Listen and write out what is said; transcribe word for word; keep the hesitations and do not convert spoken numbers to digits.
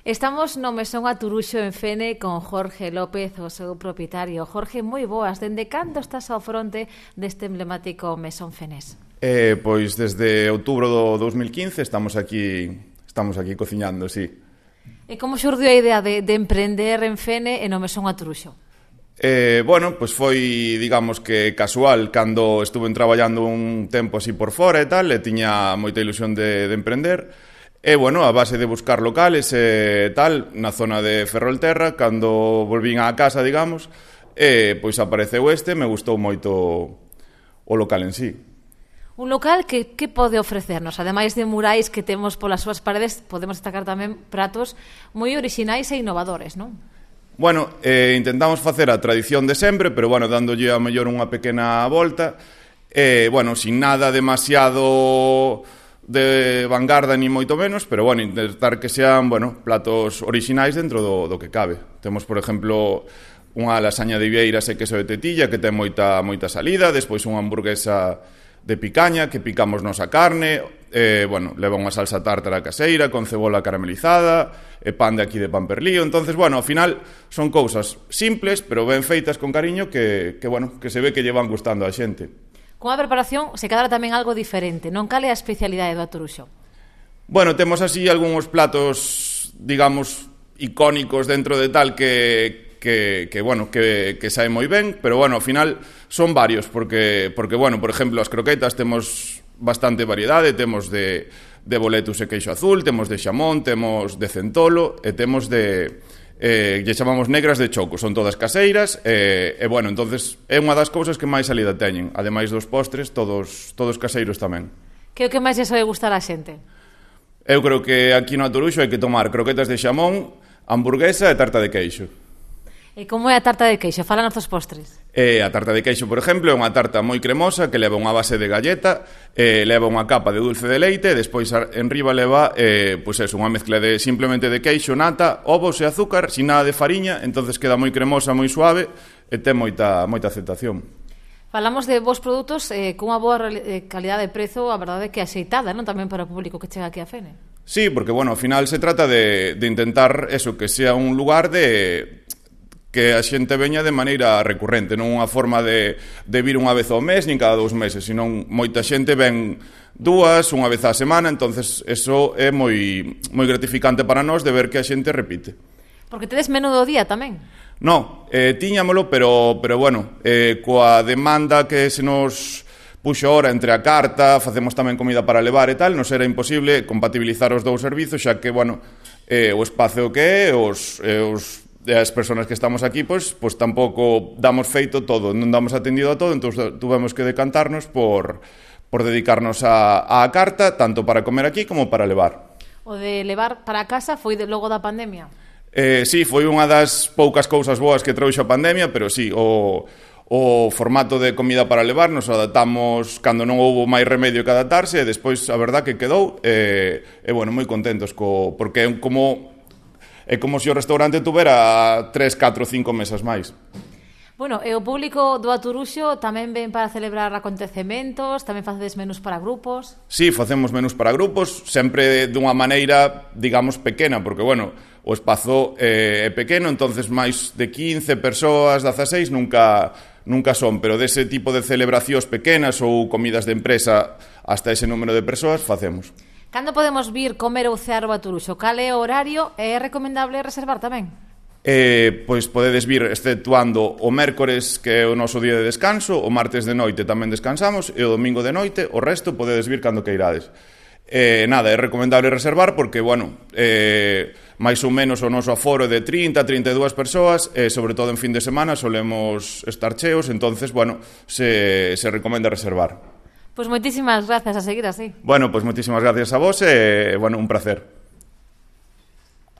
Estamos no Mesón Aturuxo en Fene con Jorge López, o seu propietario. Jorge, moi boas. Dende cando estás ao fronte deste emblemático Mesón Fenés? Eh, pois desde outubro do dos mil quince estamos aquí estamos aquí cociñando, sí. E como xurdiu a idea de, de emprender en Fene e no Mesón Aturuxo? Eh, bueno, pois foi, digamos que casual, cando estuve traballando un tempo así por fora e tal, e tiña moita ilusión de, de emprender. E, bueno, a base de buscar locales e tal, na zona de Ferrolterra, cando volvín á casa, digamos, e, pois apareceu este, me gustou moito o local en sí. Un local que, que pode ofrecernos? Ademais de murais que temos polas súas paredes, podemos destacar tamén pratos moi orixinais e innovadores, non? Bueno, eh, intentamos facer a tradición de sempre, pero, bueno, dándolle a mellor unha pequena volta, e, bueno, sin nada demasiado de vanguarda ni moito menos, pero, bueno, intentar que sean, bueno, platos orixinais dentro do, do que cabe. Temos, por exemplo, unha lasaña de vieiras e queso de tetilla que ten moita, moita salida, despois unha hamburguesa de picaña que picamos nosa carne, eh, bueno, leva unha salsa tártara caseira con cebola caramelizada e pan de aquí de Pamperlío. Entonces, bueno, ao final son cousas simples, pero ben feitas con cariño que, que, bueno, que se ve que lle van gustando a xente. Cunha preparación se cadra tamén algo diferente, non? Cal é a especialidade do Aturuxo? Bueno, temos así algúns platos, digamos, icónicos dentro de tal que, que, que bueno, que, que sae moi ben, pero, bueno, ao final son varios, porque, porque bueno, por exemplo, as croquetas temos bastante variedade, temos de, de boletus e queixo azul, temos de xamón, temos de centolo e temos de... Eh, lle chamamos negras de choco, son todas caseiras e, e bueno, entonces é unha das cousas que máis salida teñen, ademais dos postres, todos todos caseiros tamén. Que é o que máis lle soe gustar a xente? Eu creo que aquí no Aturuxo hai que tomar croquetas de xamón, hamburguesa e tarta de queixo. E como é a tarta de queixo? Fálanos dos postres. E a tarta de queixo, por exemplo, é unha tarta moi cremosa que leva unha base de galleta, e leva unha capa de dulce de leite, e despois enriba leva eh, pois eso, unha mezcla de simplemente de queixo, nata, ovos e azúcar, sin nada de fariña, entonces queda moi cremosa, moi suave e ten moita, moita aceptación. Falamos de vos produtos eh, cunha boa eh, calidade de prezo, a verdade é que axeitada, non? Tamén para o público que chega aquí a Fene. Sí, porque, bueno, ao final se trata de, de intentar eso, que sea un lugar de... que a xente veña de maneira recurrente, non unha forma de, de vir unha vez ao mes, nin cada dous meses, senón moita xente ven dúas, unha vez á semana, entonces eso é moi, moi gratificante para nós de ver que a xente repite. Porque tedes menú do día tamén? No, eh, tiñámolo, pero, pero bueno, eh, coa demanda que se nos puxo ahora entre a carta, facemos tamén comida para levar e tal, nos era imposible compatibilizar os dous servizos, xa que, bueno, eh, o espazo que é, os... Eh, os e as persoas que estamos aquí, pois, pois tampouco damos feito todo, non damos atendido a todo, entón tuvemos que decantarnos por, por dedicarnos a, a carta, tanto para comer aquí como para levar. O de levar para casa foi de, logo da pandemia? Eh, sí, foi unha das poucas cousas boas que trouxe a pandemia, pero sí, o, o formato de comida para levar nos adaptamos cando non houbo máis remedio que adaptarse, e despois a verdad que quedou, e, e bueno, moi contentos, co, porque é como... É como se o restaurante tuvera tres, catro, cinco mesas máis. Bueno, e o público do Aturuxo tamén ven para celebrar acontecementos, tamén facedes menús para grupos? Sí, facemos menús para grupos, sempre dunha maneira, digamos, pequena, porque, bueno, o espazo é pequeno, entonces máis de quince persoas, dezaseis, nunca, nunca son, pero dese tipo de celebracións pequenas ou comidas de empresa hasta ese número de persoas, facemos. Cando podemos vir comer ou cear o Aturuxo? Cal é o horario? É recomendable reservar tamén? Eh, pois podedes vir exceptuando o mércores, que é o noso día de descanso, o martes de noite tamén descansamos, e o domingo de noite, o resto podedes vir cando queirades. Eh, nada, é recomendable reservar porque, bueno, eh, máis ou menos o noso aforo é de trinta, trinta e dúas persoas, e sobre todo en fin de semana solemos estar cheos, entonces, bueno, se, se recomenda reservar. Pois moitísimas grazas, a seguir así. Bueno, pois moitísimas gracias a vos e, bueno, un placer.